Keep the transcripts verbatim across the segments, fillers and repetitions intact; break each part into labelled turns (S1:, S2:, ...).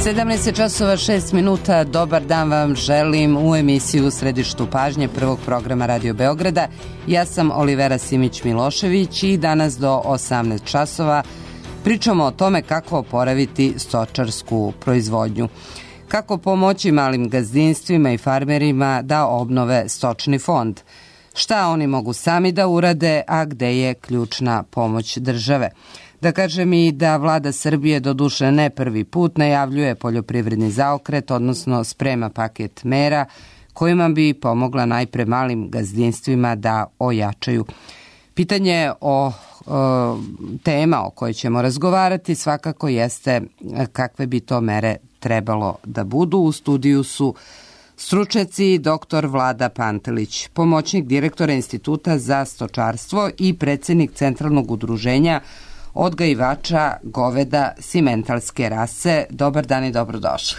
S1: sedamnaest časova šest minuta, dobar dan vam želim u emisiju u središtu pažnje prvog programa Radio Beograda. Ja sam Olivera Simić-Milošević i danas do osamnaest časova pričamo o tome kako oporaviti stočarsku proizvodnju. Kako pomoći malim gazdinstvima i farmerima da obnove stočni fond. Šta oni mogu sami da urade, a gde je ključna pomoć države. Da kažem i da vlada Srbije doduše ne prvi put najavljuje poljoprivredni zaokret, odnosno sprema paket mera kojima bi pomogla najpre malim gazdinstvima da ojačaju. Pitanje o, o tema o kojoj ćemo razgovarati svakako jeste kakve bi to mere trebalo da budu. U studiju su stručnjaci doktor Vlada Pantelić, pomoćnik direktora Instituta za stočarstvo i predsjednik Centralnog udruženja odgajivača goveda simentalske rase. Dobar dan i dobrodošli.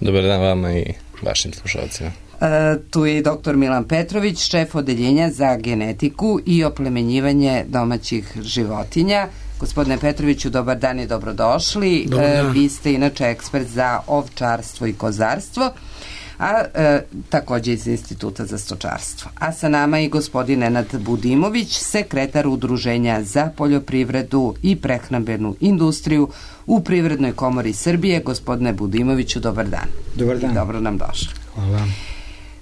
S2: Dobar dan vama i vašim slušalcima.
S1: E, tu je i doktor Milan Petrović, šef odeljenja za genetiku i oplemenjivanje domaćih životinja. Gospodine Petroviću, dobar dan i dobrodošli.
S3: Dobar dan.
S1: E, vi ste inače ekspert za ovčarstvo i kozarstvo, a e, također iz Instituta za stočarstvo. A sa nama i gospodin Nenad Budimović, sekretar Udruženja za poljoprivredu i prehrambenu industriju u Privrednoj komori Srbije. Gospodine Budimoviću, dobar dan.
S3: Dobar dan.
S1: I dobro nam došli.
S3: Hvala.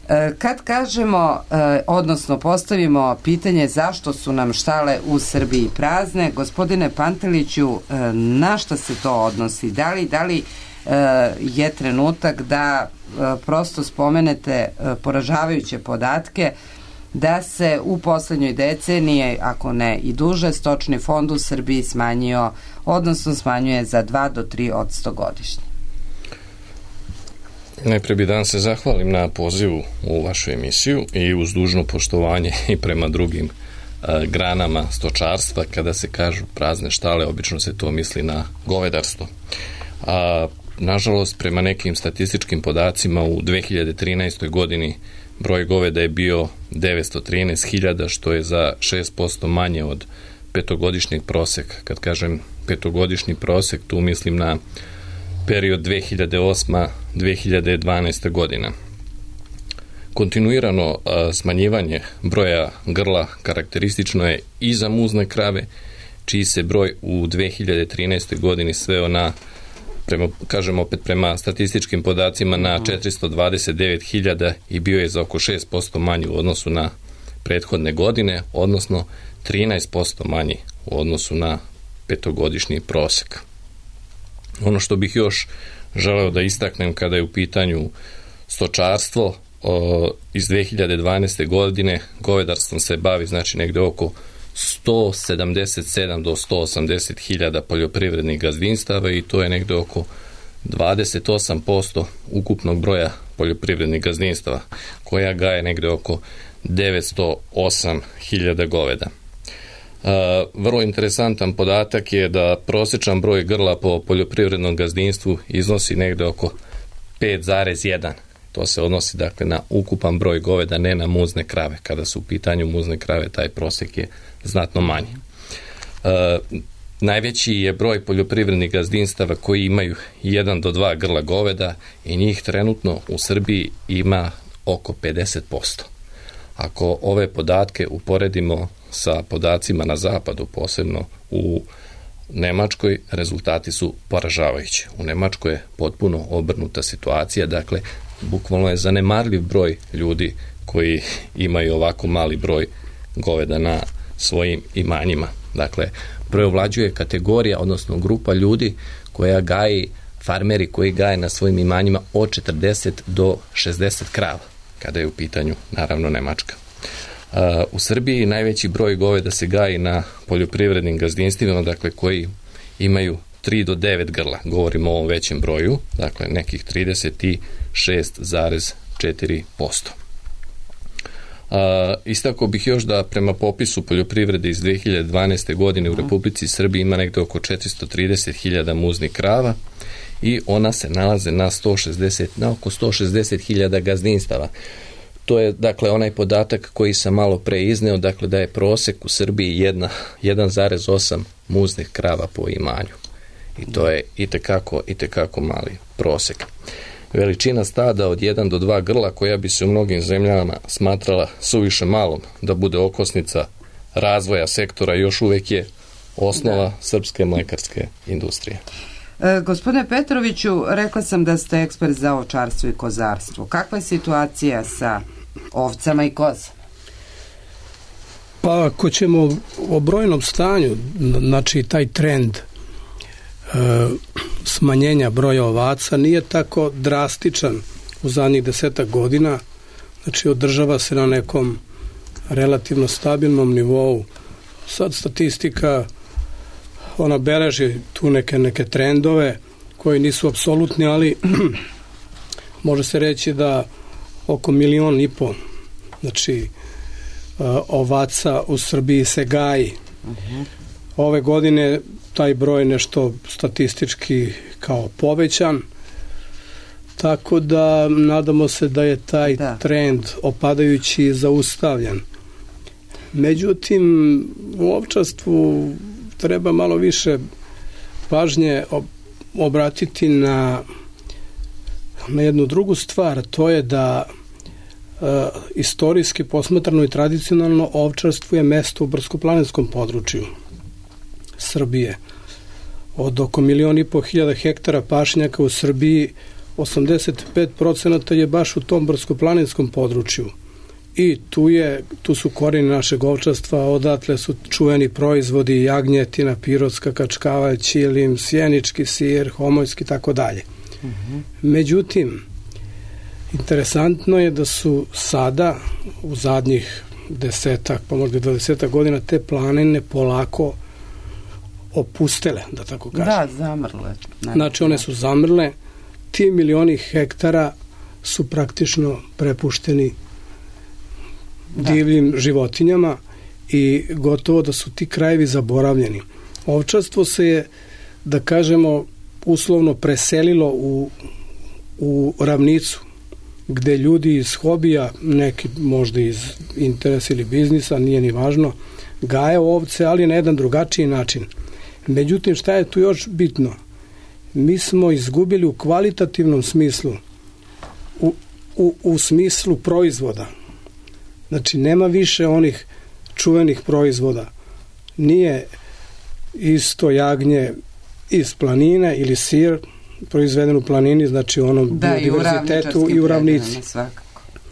S1: E, kad kažemo, e, odnosno postavimo pitanje zašto su nam štale u Srbiji prazne, gospodine Panteliću, e, na šta se to odnosi? Da li, da li je trenutak da prosto spomenete poražavajuće podatke da se u poslednjoj deceniji, ako ne i duže, stočni fond u Srbiji smanjio, odnosno smanjuje za dva do tri odsto godišnje.
S2: Najpre bih dan se zahvalim na pozivu u vašu emisiju i uz dužno poštovanje i prema drugim a, granama stočarstva. Kada se kažu prazne štale, obično se to misli na govedarstvo. A nažalost, prema nekim statističkim podacima u dve hiljade trinaestoj. godini broj goveda je bio devetsto trinaest hiljada, što je za šest posto manje od petogodišnjeg proseka. Kad kažem petogodišnji prosek, tu mislim na period dve hiljade osma do dve hiljade dvanaesta. godina. Kontinuirano a, smanjivanje broja grla karakteristično je i za muzne krave, čiji se broj u dve hiljade trinaestoj. godini sveo na, prema, kažem opet prema statističkim podacima, na četiristo dvadeset devet hiljada i bio je za oko šest posto manji u odnosu na prethodne godine, odnosno trinaest posto manji u odnosu na petogodišnji prosek. Ono što bih još želeo da istaknem kada je u pitanju stočarstvo, o, iz dve hiljade dvanaeste. godine govedarstvom se bavi znači negde oko sto sedamdeset sedam do sto osamdeset hiljada poljoprivrednih gazdinstava i to je negde oko dvadeset osam posto ukupnog broja poljoprivrednih gazdinstava, koja gaje negde oko devetsto osam hiljada goveda. Uh, vrlo interesantan podatak je da prosječan broj grla po poljoprivrednom gazdinstvu iznosi negde oko pet zarez jedan. To se odnosi dakle na ukupan broj goveda, ne na muzne krave. Kada su u pitanju muzne krave, taj prosjek je znatno manji. E, najveći je broj poljoprivrednih gazdinstava koji imaju jedan do dva grla goveda i njih trenutno u Srbiji ima oko pedeset posto. Ako ove podatke uporedimo sa podacima na zapadu, posebno u Nemačkoj, rezultati su poražavajući. U Nemačkoj je potpuno obrnuta situacija, dakle, bukvalno je zanemarljiv broj ljudi koji imaju ovako mali broj goveda na svojim imanjima. Dakle, preovlađuje kategorija, odnosno grupa ljudi koja gaji, farmeri koji gaje na svojim imanjima od četrdeset do šezdeset krava, kada je u pitanju, naravno, Nemačka. Uh, u Srbiji najveći broj goveda se gaji na poljoprivrednim gazdinstvima, dakle, koji imaju tri do devet grla, govorimo o ovom većem broju, dakle nekih trideset šest zarez četiri posto. Uh, istako bih još da prema popisu poljoprivrede iz dve hiljade dvanaeste. godine u Republici Srbiji ima negde oko četiristo trideset hiljada muznih krava i ona se nalaze na, sto šezdeset, na oko sto šezdeset hiljada gazdinstava. To je, dakle, onaj podatak koji sam malo pre izneo, dakle, da je prosek u Srbiji jedan zarez osam muznih krava po imanju. I to je itekako, itekako mali prosek. Veličina stada od jedan do dva grla, koja bi se u mnogim zemljama smatrala suviše malom da bude okosnica razvoja sektora, još uvek je osnova da. srpske mlekarske industrije.
S1: E, gospodine Petroviću, rekla sam da ste ekspert za ovčarstvo i kozarstvo. Kakva je situacija sa ovcama i kozama?
S3: Pa ako ćemo o brojnom stanju, znači taj trend e, smanjenja broja ovaca nije tako drastičan u zadnjih desetak godina, znači održava se na nekom relativno stabilnom nivou. Sad statistika ona beleži tu neke, neke trendove koji nisu apsolutni, ali može se reći da oko milion i po, znači ovaca u Srbiji se gaji. Uh-huh. Ove godine taj broj nešto statistički kao povećan, tako da nadamo se da je taj da. trend opadajući zaustavljen. Međutim, u ovčarstvu treba malo više pažnje obratiti na, na jednu drugu stvar, to je da e, istorijski posmatrano i tradicionalno ovčarstvo je mesto u brdsko-planinskom području Srbije. Od oko milion i po hiljada hektara pašnjaka u Srbiji, osamdeset pet procenata je baš u tom brdsko-planinskom području. I tu, je, tu su korijeni našeg ovčarstva, odatle su čuveni proizvodi jagnjetina, pirotska kačkavalj, ćilim, sjenički sir, homojski i tako dalje. Međutim, interesantno je da su sada u zadnjih desetak, pa možda dvadesetak godina te planine polako opustele, da tako kažem.
S1: Da, zamrle.
S3: Znači one su zamrle, ti milioni hektara su praktično prepušteni da. divljim životinjama i gotovo da su ti krajevi zaboravljeni. Ovčarstvo se je, da kažemo, uslovno preselilo u, u ravnicu, gde ljudi iz hobija, neki možda iz interesa ili biznisa, nije ni važno, gaje ovce, ali na jedan drugačiji način. Međutim, šta je tu još bitno? Mi smo izgubili u kvalitativnom smislu, u, u, u smislu proizvoda. Znači, nema više onih čuvenih proizvoda. Nije isto jagnje iz planine ili sir proizveden u planini, znači u onom
S1: da,
S3: biodiverzitetu i u ravnici.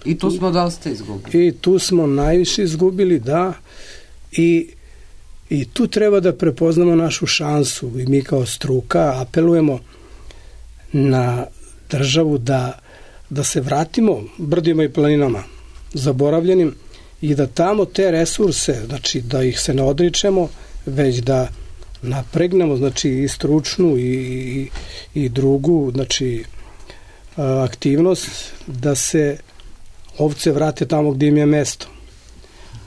S1: I tu smo dosta izgubili.
S3: I tu smo najviše izgubili, da, i I tu treba da prepoznamo našu šansu i mi kao struka apelujemo na državu da, da se vratimo brdima i planinama zaboravljenim i da tamo te resurse, znači da ih se ne odričemo, već da napregnemo, znači i stručnu i, i, i drugu, znači aktivnost da se ovce vrate tamo gdje im je mesto.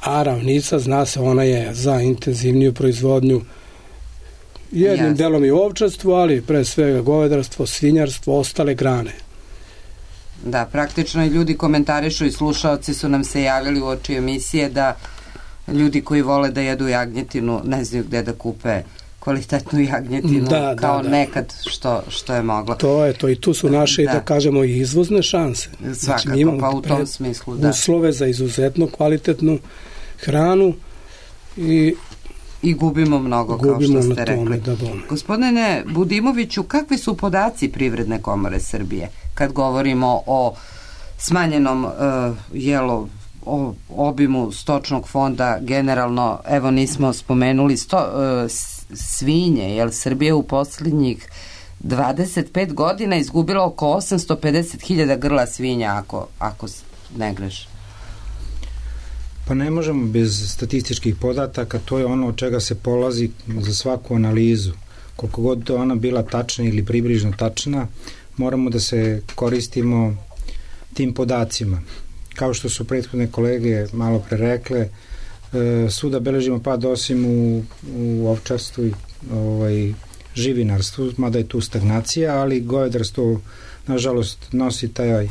S3: A ravnica, zna se, ona je za intenzivniju proizvodnju jednim yes. delom i ovčarstvo, ali pre svega govedarstvo, svinjarstvo, ostale grane.
S1: Da, praktično i ljudi komentarišu i slušaoci su nam se javili u oči emisije da ljudi koji vole da jedu jagnjetinu ne znaju gde da kupe kvalitetnu jagnjetinu da, kao da, da. nekad što, što je moglo.
S3: To je to i tu su naše, da, da kažemo, i izvozne šanse.
S1: Svakako, znači, mi imamo pa u tom smislu, da.
S3: uslove za izuzetno kvalitetnu hranu i
S1: i gubimo mnogo, kao što ste rekli.
S3: Tome, da bome.
S1: Gospodine Budimoviću, kakvi su podaci Privredne komore Srbije kad govorimo o smanjenom uh, jelo, o obimu stočnog fonda generalno? Evo, nismo spomenuli sto, uh, svinje, jer Srbija u posljednjih dvadeset pet godina izgubila oko osamsto pedeset hiljada grla svinja, ako, ako ne greš.
S4: Pa ne možemo bez statističkih podataka, to je ono od čega se polazi za svaku analizu. Koliko god ona bila tačna ili približno tačna, moramo da se koristimo tim podacima. Kao što su prethodne kolege malo pre rekle, svuda beležimo pad osim u, u ovčarstvu i ovaj, živinarstvu, mada je tu stagnacija, ali govedarstvo nažalost nosi taj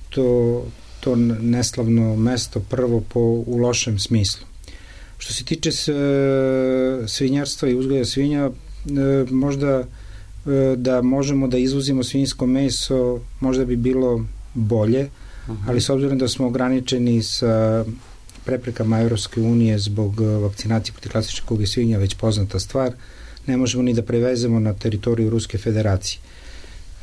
S4: to to neslavno mesto prvo po, u lošem smislu. Što se tiče s, svinjarstva i uzgoja svinja, možda da možemo da izvozimo svinjsko meso, možda bi bilo bolje, uh-huh. ali s obzirom da smo ograničeni sa preprekama Evropske unije zbog vakcinacije protiv klasične kuge svinja, već poznata stvar, ne možemo ni da prevezemo na teritoriju Ruske federacije.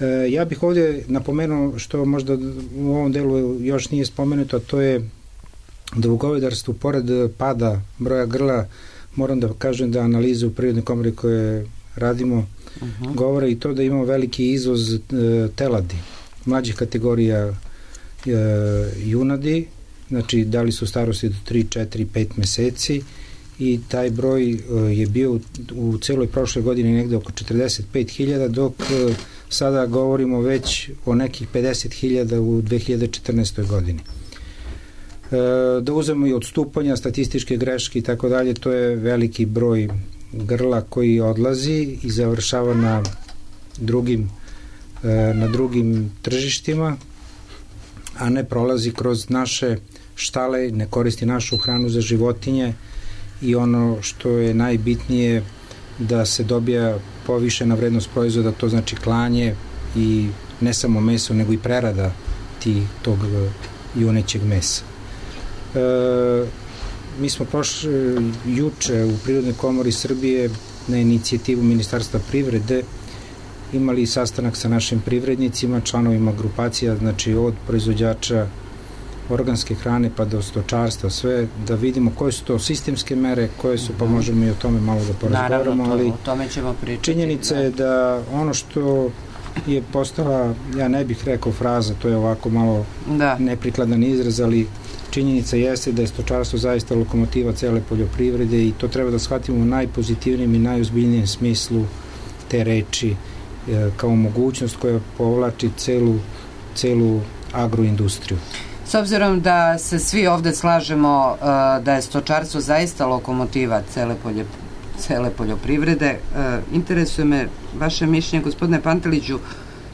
S4: E, ja bih ovdje napomenuo što možda u ovom delu još nije spomenuto, a to je da u govedarstvu, pored pada broja grla, moram da kažem da analize u Prirodnoj komori koje radimo uh-huh. govore i to da imamo veliki izvoz e, teladi, mlađih kategorija e, junadi, znači da li su starosti do tri, četiri, pet meseci i taj broj e, je bio u, u celoj prošle godini negde oko četrdeset pet hiljada, dok e, sada govorimo već o nekih pedeset hiljada u dve hiljade četrnaestoj godini. Da uzmemo i odstupanja, statističke greške i tako dalje, to je veliki broj grla koji odlazi i završava na drugim, na drugim tržištima, a ne prolazi kroz naše štale, ne koristi našu hranu za životinje i ono što je najbitnije da se dobija povišena vrednost proizvoda, to znači klanje i ne samo meso, nego i prerada ti, tog junećeg mesa. E, mi smo prošli juče u Prirodnoj komori Srbije na inicijativu Ministarstva privrede imali sastanak sa našim privrednicima, članovima grupacija, znači od proizvođača organske hrane pa do stočarstva, sve da vidimo koje su to sistemske mere, koje su, pa možemo i o tome malo da porazgovaramo, ali
S1: o tome ćemo pričati.
S4: Činjenica je da ono što je postala, ja ne bih rekao fraza, to je ovako malo da. neprikladan izraz, ali činjenica jeste da je stočarstvo zaista lokomotiva cele poljoprivrede i to treba da shvatimo u najpozitivnijem i najozbiljnijem smislu te reči, kao mogućnost koja povlači celu, celu agroindustriju.
S1: S obzirom da se svi ovde slažemo da je stočarstvo zaista lokomotiva cele, polje, cele poljoprivrede, interesuje me vaše mišljenje, gospodine Panteliću,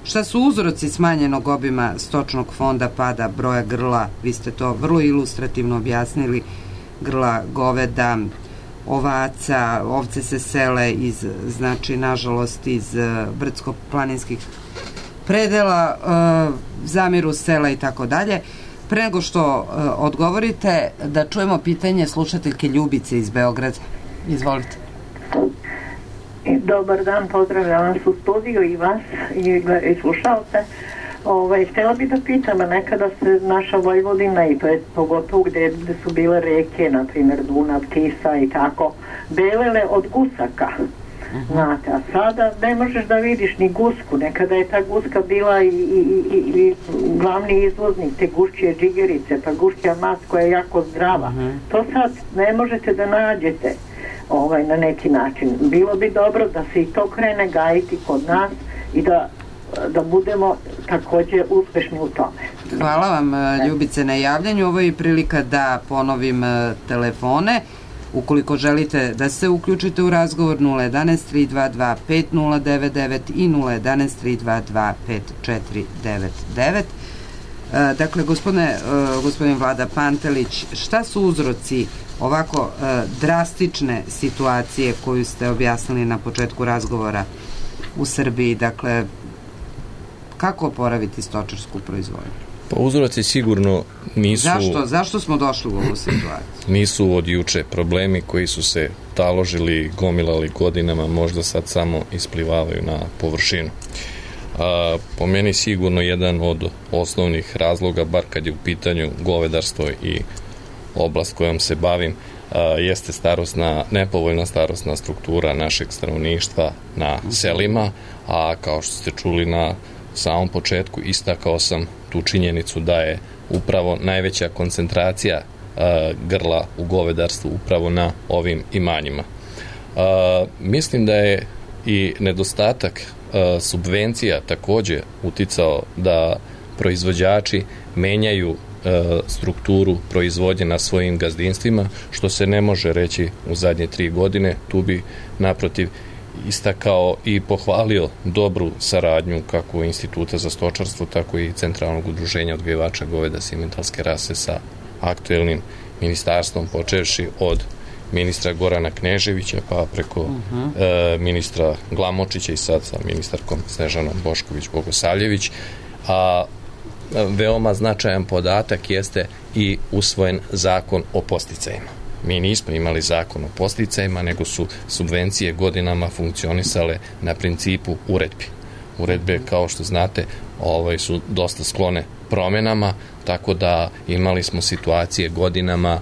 S1: šta su uzroci smanjenog obima stočnog fonda, pada broja grla, vi ste to vrlo ilustrativno objasnili, grla goveda, ovaca, ovce se sele iz, znači, nažalost, iz brdsko-planinskih predela, zamiru sela i tako dalje. Pre nego što odgovorite, da čujemo pitanje slušateljke Ljubice iz Beograda. Izvolite.
S5: Dobar dan, pozdravljam vas u studiju i vas i, i slušalce. Ovaj, htjela bih da pitam, nekada se naša Vojvodina i to je pogotovo gde, gde su bile reke, na primjer Dunav, Tisa i tako, belele od gusaka. Uh-huh. Znate, a sada ne možeš da vidiš ni gusku. Nekada je ta guska bila i, i, i, i glavni izvoznik te gušćije džigerice, pa gušća mas koja je jako zdrava. Uh-huh. To sad ne možete da nađete ovaj, na neki način. Bilo bi dobro da se i to krene gajiti kod nas i da, da budemo takođe uspešni u tome.
S1: Hvala vam, Ljubice, na javljanju. Ovo je prilika da ponovim telefone. Ukoliko želite da se uključite u razgovor, nula jedanaest tri dva dva pet nula devet devet i nula jedanaest tri dva dva pet četiri devet devet. Dakle, gospodine, gospodin Vlada Pantelić, šta su uzroci ovako drastične situacije koju ste objasnili na početku razgovora u Srbiji? Dakle, kako oporaviti stočarsku proizvodnju?
S2: Pa uzroci sigurno nisu...
S1: Zašto? Zašto smo došli u ovu situaciju?
S2: Nisu od juče problemi koji su se taložili, gomilali godinama, možda sad samo isplivavaju na površinu. A, po meni sigurno jedan od osnovnih razloga, bar kad je u pitanju govedarstvo i oblast kojom se bavim, a, jeste starosna, nepovoljna starosna struktura našeg stanovništva na selima, a kao što ste čuli na samom početku, istakao sam tu činjenicu da je upravo najveća koncentracija a, grla u govedarstvu upravo na ovim imanjima. A, mislim da je i nedostatak a, subvencija takođe uticao da proizvođači menjaju a, strukturu proizvodnje na svojim gazdinstvima, što se ne može reći u zadnje tri godine. Tu bi naprotiv istakao i pohvalio dobru saradnju kako Instituta za stočarstvo, tako i Centralnog udruženja odgajivača goveda simentalske rase sa aktuelnim ministarstvom, počevši od ministra Gorana Kneževića, pa preko uh-huh. e, ministra Glamočića i sad sa ministarkom Snežanom Bošković-Bogosavljević. A veoma značajan podatak jeste i usvojen zakon o podsticajima. Mi nismo imali zakon o podsticajima, nego su subvencije godinama funkcionisale na principu uredbi. Uredbe, kao što znate, ovaj, su dosta sklone promenama, tako da imali smo situacije godinama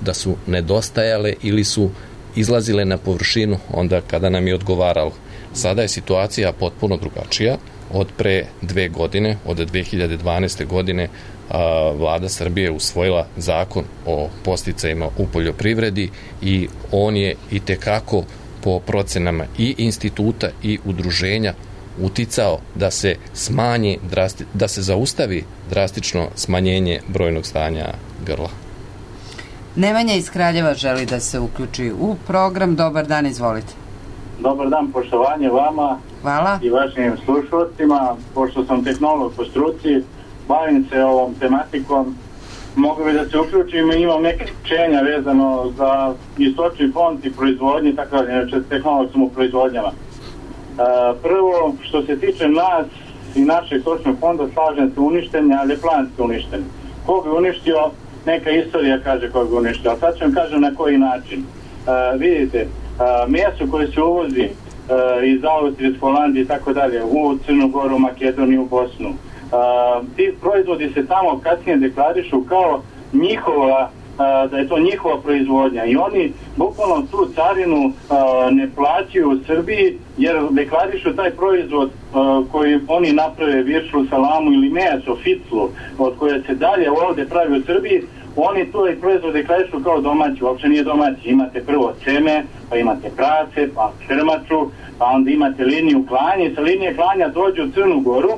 S2: da su nedostajale ili su izlazile na površinu onda kada nam je odgovaralo. Sada je situacija potpuno drugačija. Od pre dve godine, od dve hiljade dvanaeste godine, a, Vlada Srbije usvojila zakon o podsticajima u poljoprivredi i on je itekako po procenama i instituta i udruženja uticao da se smanji, drasti, da se zaustavi drastično smanjenje brojnog stanja grla.
S1: Nemanja iz Kraljeva želi da se uključi u program. Dobar dan, izvolite.
S6: Dobar dan, poštovanje vama.
S1: Hvala.
S6: I vašim slušalcima. Pošto sam tehnolog po struci, bavim se ovom tematikom, mogu bi da se uključim i imam neke učenja vezano za istočni fond i proizvodnje, tako da, znači tehnolog sam u proizvodnjama. Prvo, što se tiče nas i našeg stočnog fonda, slažem se uništenja, ali je planski uništen. Ko bi uništio, neka istorija kaže ko bi uništio, a sad ću vam kažem na koji način. Uh, vidite, uh, meso koje se uvozi uh, iz Austrije, iz Holandije i tako dalje, u Crnu Goru, Makedoniju, Bosnu, uh, ti proizvodi se tamo kasnije deklarišu kao njihova, uh, da je to njihova proizvodnja i oni bukvalno tu carinu uh, ne plaćaju u Srbiji jer deklarišu taj proizvod uh, koji oni naprave, viršlu, salamu ili meso, ficlu, od koje se dalje ovde pravi u Srbiji, oni to i proizvod deklarišu kao domaći, uopće nije domaći. Imate prvo ceme, pa imate prace, pa krmaču, pa onda imate liniju klanja i sa linije klanja dođu u Crnu Goru,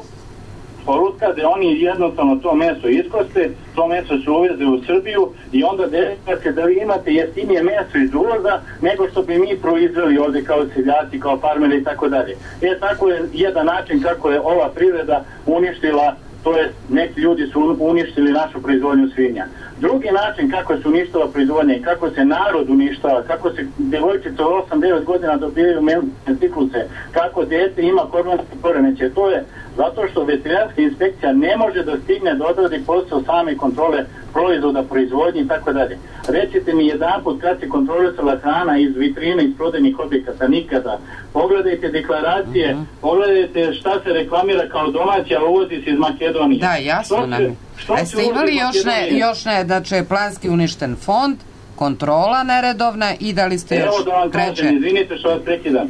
S6: porutka da oni jednostavno to meso iskoste, to meso se uveze u Srbiju i onda desite da vi imate jeftinije meso iz uvoza nego što bi mi proizveli ovde kao seljaci, kao farmeri i tako dalje. E, tako je jedan način kako je ova privreda uništila, to je neki ljudi su uništili našu proizvodnju svinja. Drugi način kako se uništava proizvodnja i kako se narod uništava, kako se devojčice od osam devet godina dobijaju menstrualne cikluse, kako dete ima hormonske poremećaje, to je zato što veterinarska inspekcija ne može da stigne da odradi posao same kontrole proizvoda, proizvodnje i tako dalje. Recite mi jedanput kad se kontrolisala hrana iz vitrine, iz prodajnih objekata, nikada. Pogledajte deklaracije, uh-huh. pogledajte šta se reklamira kao domaći, a uvozi se iz Makedonije.
S1: Da, jasno nam je. A ste imali još ne, još ne, znači je planski uništen fond, kontrola neredovna i da li ste
S6: Evo
S1: još
S6: da vam
S1: treće?
S6: Kažem, izvinite što vas prekidam.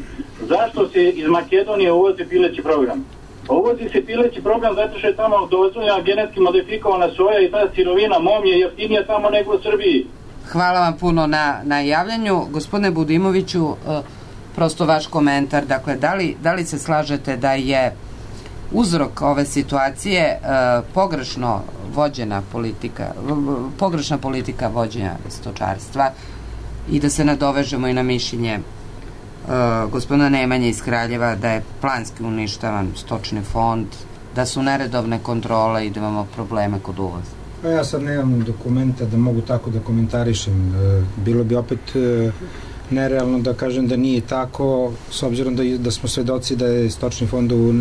S6: Zašto se iz Makedonije uvozi pileći program? Uvozi se pileći program zato što je tamo dozvoljena genetski modifikovana soja i ta sirovina mom je jeftinija tamo nego u Srbiji.
S1: Hvala vam puno na, na javljanju. Gospodine Budimoviću, uh, prosto vaš komentar, dakle, da li, da li se slažete da je uzrok ove situacije uh, pogrešno vođena politika, pogrešna politika vođenja stočarstva i da se nadovežemo i na mišljenje Uh, gospodina Nemanje iz Kraljeva da je planski uništavan stočni fond, da su neredovne kontrole i da imamo probleme kod uvoza?
S4: Pa ja sad nemam dokumenta da mogu tako da komentarišem. Bilo bi opet nerealno da kažem da nije tako, s obzirom da, da smo svedoci da je stočni fond u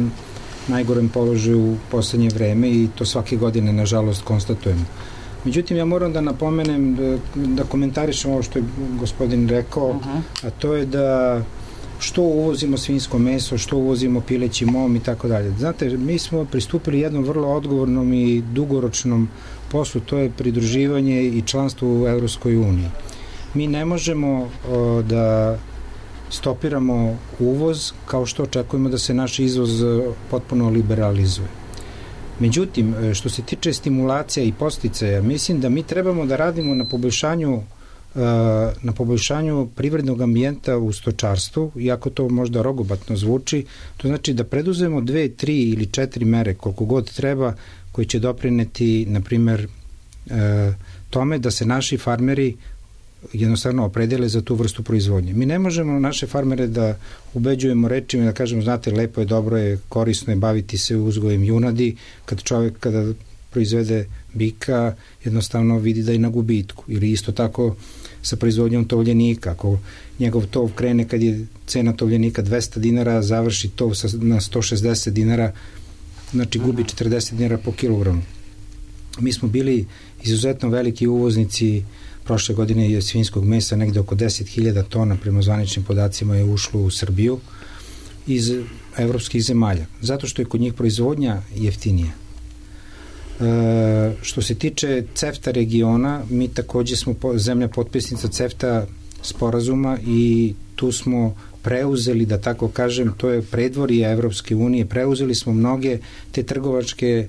S4: najgorem položaju u poslednje vreme i to svake godine nažalost konstatujemo. Međutim, ja moram da napomenem, da, da komentarišem ovo što je gospodin rekao, uh-huh. a to je da što uvozimo svinjsko meso, što uvozimo pileći mom i tako dalje. Znate, mi smo pristupili jednom vrlo odgovornom i dugoročnom poslu, to je pridruživanje i članstvo u Evropskoj uniji. Mi ne možemo o, da stopiramo uvoz kao što očekujemo da se naš izvoz potpuno liberalizuje. Međutim, što se tiče stimulacija i podsticaja, mislim da mi trebamo da radimo na poboljšanju na poboljšanju privrednog ambijenta u stočarstvu, iako to možda rogobatno zvuči, to znači da preduzemo dve, tri ili četiri mere, koliko god treba, koji će doprineti, na primer, tome da se naši farmeri jednostavno opredele za tu vrstu proizvodnje. Mi ne možemo naše farmere da ubeđujemo rečima da kažemo, znate, lepo je, dobro je, korisno je baviti se uzgojem junadi, kad čovjek kada proizvede bika jednostavno vidi da je na gubitku. Ili isto tako sa proizvodnjom tovljenika. Ako njegov tov krene kad je cena tovljenika dvesta dinara, završi tov sa, na sto šezdeset dinara, znači gubi četrdeset dinara po kilogramu. Mi smo bili izuzetno veliki uvoznici. Prošle godine je svinjskog mesa negde oko deset hiljada tona, prema zvaničnim podacima je ušlo u Srbiju iz evropskih zemalja, zato što je kod njih proizvodnja jeftinija. E, što se tiče CEFTA regiona, mi takođe smo po, zemlja potpisnica CEFTA sporazuma i tu smo preuzeli, da tako kažem, to je predvorje Evropske unije, preuzeli smo mnoge te trgovačke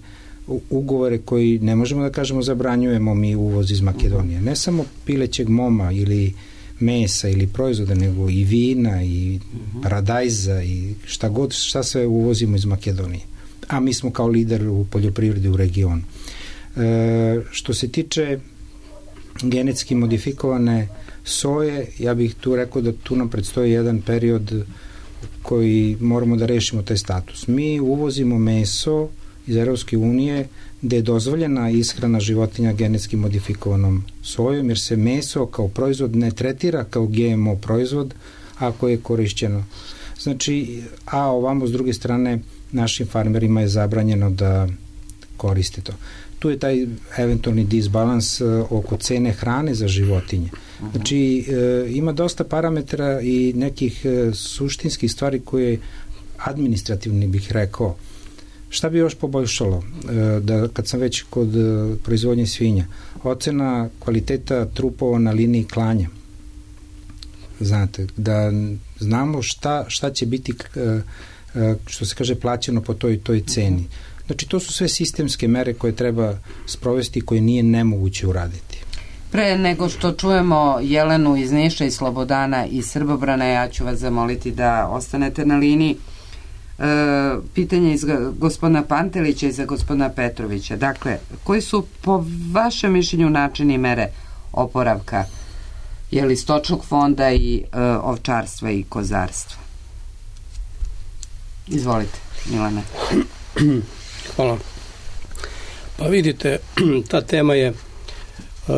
S4: ugovore koji ne možemo da kažemo zabranjujemo mi uvoz iz Makedonije. Ne samo pilećeg moma ili mesa ili proizvoda, nego i vina i paradajza i šta god, šta sve uvozimo iz Makedonije. A mi smo kao lider u poljoprivredi u regionu. E, što se tiče genetski modifikovane soje, ja bih tu rekao da tu nam predstoji jedan period koji moramo da rešimo taj status. Mi uvozimo meso iz Evropske unije gde je dozvoljena ishrana životinja genetski modifikovanom sojom, jer se meso kao proizvod ne tretira kao G M O proizvod ako je korišćeno. Znači, a ovamo s druge strane našim farmerima je zabranjeno da koriste to. Tu je taj eventualni disbalans oko cene hrane za životinje. Znači, e, ima dosta parametara i nekih e, suštinskih stvari koje administrativni bih rekao. Šta bi još poboljšalo? E, da kad sam već kod e, proizvodnje svinja, ocena kvaliteta trupova na liniji klanja. Znate, da znamo šta, šta će biti e, e, što se kaže plaćeno po toj toj ceni. Znači, to su sve sistemske mere koje treba sprovesti, koje nije nemoguće uraditi.
S1: Pre nego što čujemo Jelenu iz Niša i Slobodana iz Srbobrana, ja ću vas zamoliti da ostanete na liniji. E, pitanje iz gospodina Pantelića i za gospodina Petrovića. Dakle, koji su po vašem mišljenju načini i mere oporavka je li stočnog fonda i e, ovčarstva i kozarstva? Izvolite, Milane.
S3: Hvala. Pa vidite, ta tema je uh,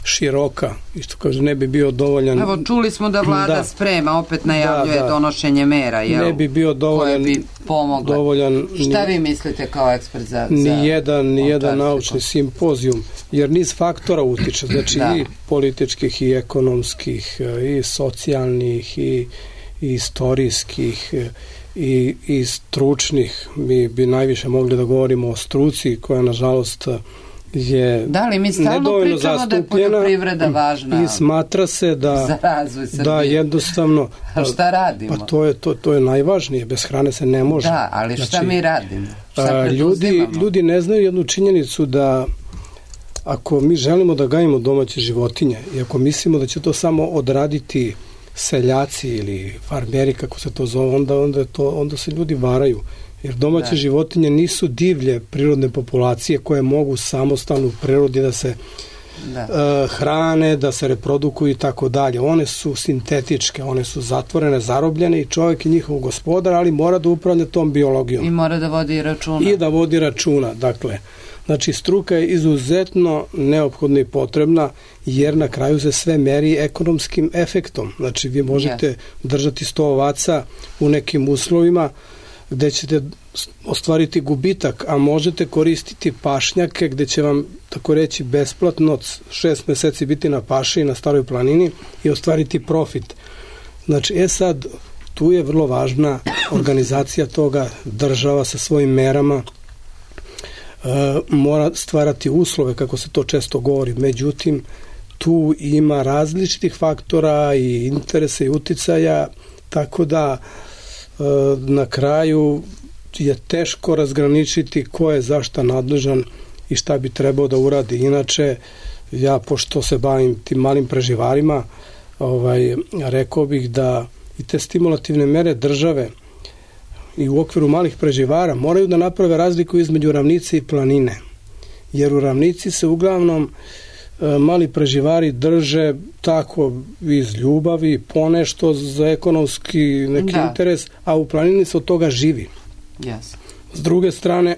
S3: široka i što kaže, ne bi bio dovoljan.
S1: Evo, čuli smo da vlada da, sprema, opet najavljuje da, da. donošenje mera, jel?
S3: Ne bi bio dovoljan,
S1: koje bi pomogle.
S3: Dovoljan,
S1: Šta vi mislite kao ekspert za, za
S3: ni jedan, ni jedan naučni simpozijum, jer niz faktora utiče, znači da. i političkih, i ekonomskih, i socijalnih, i, i istorijskih, i, i stručnih. Mi bi najviše mogli da govorimo o struci koja nažalost je
S1: da li mi stalno pričamo da je poljoprivreda važna
S3: i smatra se da,
S1: za razvoj Srbije.
S3: Da jednostavno
S1: a šta radimo?
S3: Pa to je, to, to je najvažnije, bez hrane se ne može.
S1: Da, ali šta znači, mi radimo?
S3: Šta ljudi, ljudi ne znaju jednu činjenicu da ako mi želimo da gajimo domaće životinje i ako mislimo da će to samo odraditi seljaci ili farmeri, kako se to zove, onda, onda, je to, onda se ljudi varaju. Jer domaće da. životinje nisu divlje prirodne populacije koje mogu samostalno u prirodi da se da. Uh, hrane, da se reprodukuju i tako dalje. One su sintetičke, one su zatvorene, zarobljene i čovjek je njihov gospodar, ali mora da upravlja tom biologijom.
S1: I mora da vodi računa.
S3: I da vodi računa, dakle. Znači, struka je izuzetno neophodna i potrebna, jer na kraju se sve meri ekonomskim efektom. Znači, vi možete yes. držati sto ovaca u nekim uslovima gde ćete ostvariti gubitak, a možete koristiti pašnjake gde će vam, tako reći, besplatno šest meseci biti na paši i na Staroj planini i ostvariti profit. Znači, e sad, tu je vrlo važna organizacija toga, država sa svojim merama, Uh, mora stvarati uslove, kako se to često govori. Međutim, tu ima različitih faktora i interesa i uticaja, tako da uh, na kraju je teško razgraničiti ko je zašta nadležan i šta bi trebao da uradi. Inače, ja, pošto se bavim tim malim preživarima, ovaj, rekao bih da i te stimulativne mere države i u okviru malih preživara moraju da naprave razliku između ravnice i planine. Jer u ravnici se uglavnom e, mali preživari drže tako iz ljubavi, ponešto za ekonomski neki da. interes, a u planini se od toga živi.
S1: Yes.
S3: S druge strane,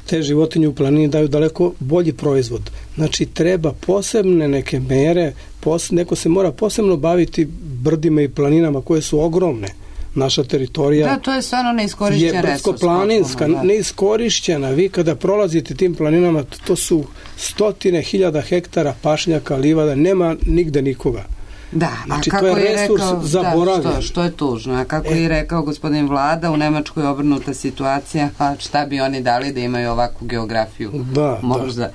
S3: te životinje u planini daju daleko bolji proizvod. Znači, treba posebne neke mere, pos, neko se mora posebno baviti brdima i planinama koje su ogromne. Naša teritorija
S1: da, to je stvarno neiskorišćen
S3: je brdsko-planinska, neiskorišćena. Vi kada prolazite tim planinama, to su stotine hiljada hektara pašnjaka, livada, nema nigde nikoga.
S1: Da,
S3: znači,
S1: a kako
S3: to je,
S1: je
S3: resurs
S1: rekao,
S3: zaboravljen.
S1: Da, što, što je tužno, a kako e. je rekao gospodin Vlada, u Nemačkoj je obrnuta situacija, a šta bi oni dali da imaju ovakvu geografiju?
S3: Da,
S1: možda.
S3: Da.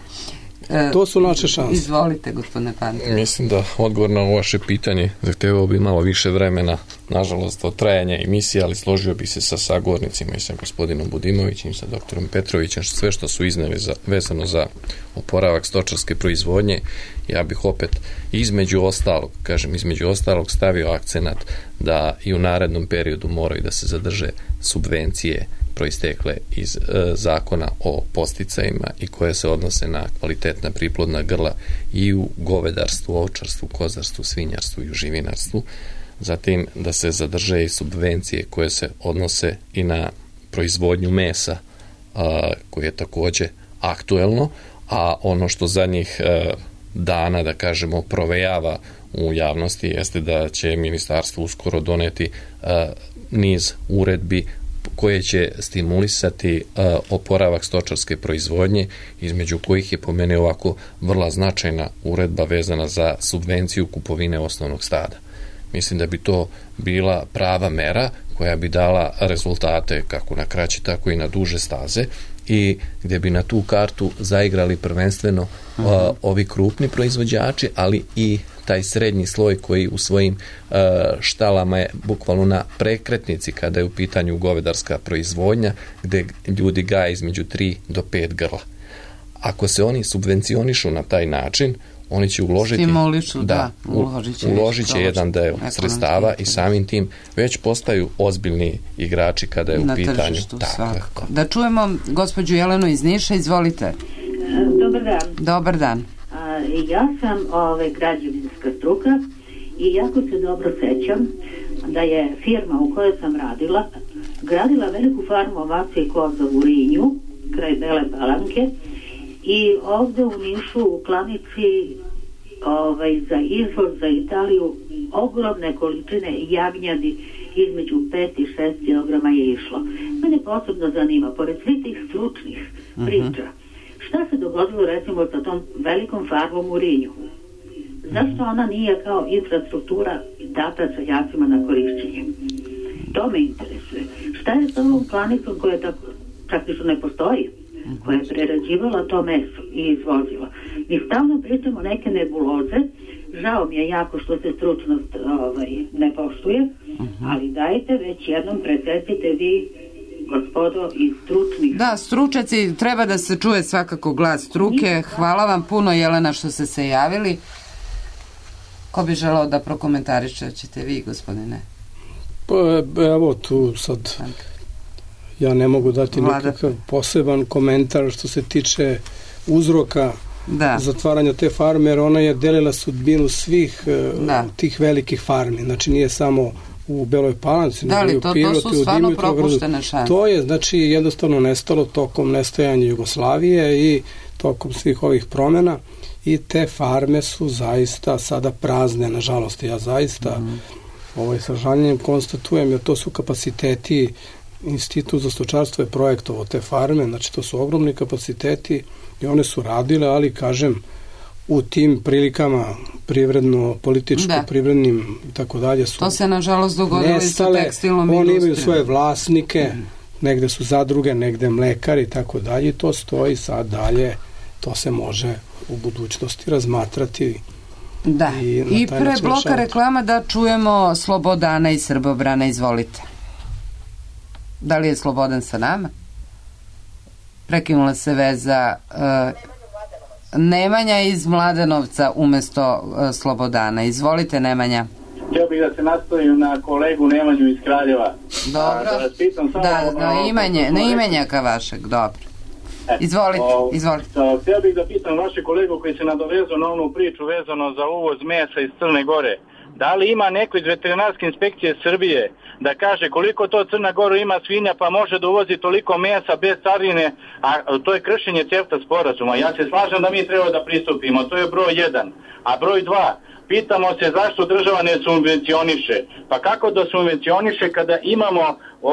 S3: E, to su naše šanse.
S1: Izvolite, gospodine Panter.
S2: Mislim da odgovor na ovo vaše pitanje zahtevao bi malo više vremena, nažalost, od trajanja emisije, ali složio bi se sa sagovornicima i sa gospodinom Budimovićem i sa doktorom Petrovićem, sve što su izneli za, vezano za oporavak stočarske proizvodnje. Ja bih opet između ostalog, kažem između ostalog, stavio akcenat da i u narednom periodu moraju da se zadrže subvencije proistekle iz e, zakona o podsticajima i koje se odnose na kvalitetna priplodna grla i u govedarstvu, ovčarstvu, kozarstvu, svinjarstvu i u živinarstvu. Zatim da se zadrže i subvencije koje se odnose i na proizvodnju mesa, a, koje je takođe aktuelno, a ono što zadnjih a, dana, da kažemo, provejava u javnosti jeste da će ministarstvo uskoro doneti a, niz uredbi koje će stimulisati uh, oporavak stočarske proizvodnje, između kojih je po meni ovako vrlo značajna uredba vezana za subvenciju kupovine osnovnog stada. Mislim da bi to bila prava mera koja bi dala rezultate kako na kraće, tako i na duže staze i gdje bi na tu kartu zaigrali prvenstveno uh, ovi krupni proizvođači, ali i taj srednji sloj koji u svojim uh, štalama je bukvalno na prekretnici kada je u pitanju govedarska proizvodnja, gde ljudi gaje između tri do pet grla. Ako se oni subvencionišu na taj način, oni će uložiti
S1: Stimulišu,
S3: da,
S1: da, uložit će,
S3: uložit će jedan deo sredstava i samim tim već postaju ozbiljni igrači kada je u
S1: na
S3: pitanju.
S1: Tržištu, svakako. Da čujemo gospođu Jelenu iz Niša, izvolite.
S7: Dobar dan.
S1: Dobar dan.
S7: A, ja sam ove, građevinska struka i jako se dobro sećam da je firma u kojoj sam radila gradila veliku farmu ovaca i koza u Rinju, kraj Bele Palanke, i ovde u Nišu u klanici ovaj, za izvoz za Italiju ogromne količine jagnjadi između pet i šest kilograma je išlo. Mene posebno zanima, pored svih tih stručnih priča, šta se dogodilo recimo sa tom velikom farmom u Rinju? Zašto ona nije kao infrastruktura data seljacima na korišćenje? To me interesuje. Šta je sa ovom klanicom koja tako praktično ne postoji, koja je prerađivala to meso i izvozila? Mi stalno pričamo neke nebuloze, žao mi je jako što se stručnost ovaj, ne poštuje, ali dajte već jednom presecite vi, gospodo iz stručnih.
S1: Da, stručaci, treba da se čuje svakako glas struke. Hvala vam puno, Jelena, što ste se javili. Ko bi želao da prokomentariše, ćete vi, gospodine?
S3: Pa evo tu sad ja ne mogu dati
S1: Vlada.
S3: Nikakav poseban komentar što se tiče uzroka da. zatvaranja te farme, jer ona je delila sudbinu svih da. tih velikih farmi. Znači nije samo u Beloj Palanci,
S1: da li,
S3: nego
S1: to,
S3: u Pirotu,
S1: to su stvarno propuštene šanse.
S3: To je znači jednostavno nestalo tokom nestajanja Jugoslavije i tokom svih ovih promjena i te farme su zaista sada prazne, nažalost. Ja zaista mm. ovaj, sa žaljenjem konstatujem, jer to su kapaciteti, Institut za stočarstvo je projektovao te farme, znači to su ogromni kapaciteti i one su radile, ali kažem, u tim prilikama privredno, političko, da. privrednim i tako dalje su
S1: to se nažalost dogodilo i sa tekstilnom industrijom.
S3: Oni imaju svoje vlasnike, mm. negde su zadruge, negde mlekari i tako dalje i to stoji sad dalje, to se može u budućnosti razmatrati.
S1: Da, i, I pre bloka reklama da čujemo Slobodana iz Srbobrana, izvolite. Da li je Slobodan sa nama? Prekinula se veza. Uh, Nemanja iz Mladenovca umesto uh, Slobodana. Izvolite, Nemanja.
S6: Htio bih da se nastavim na kolegu Nemanju iz Kraljeva.
S1: Dobro.
S6: Da, da, samo
S1: da
S6: ono,
S1: na, imanje, na imenjaka vašeg, dobro. E, izvolite, o, izvolite.
S6: Htio bih da pitam vaše kolegu koji se nadovezao na onu priču vezano za uvoz mesa iz Crne Gore. Da li ima neko iz veterinarske inspekcije Srbije da kaže koliko to Crna Gora ima svinja pa može da uvozi toliko mesa bez carine, a to je kršenje CEFTA sporazuma. Ja se slažem da mi treba da pristupimo, to je broj jedan. A broj dva, pitamo se zašto država ne subvencioniše. Pa kako da subvencioniše kada imamo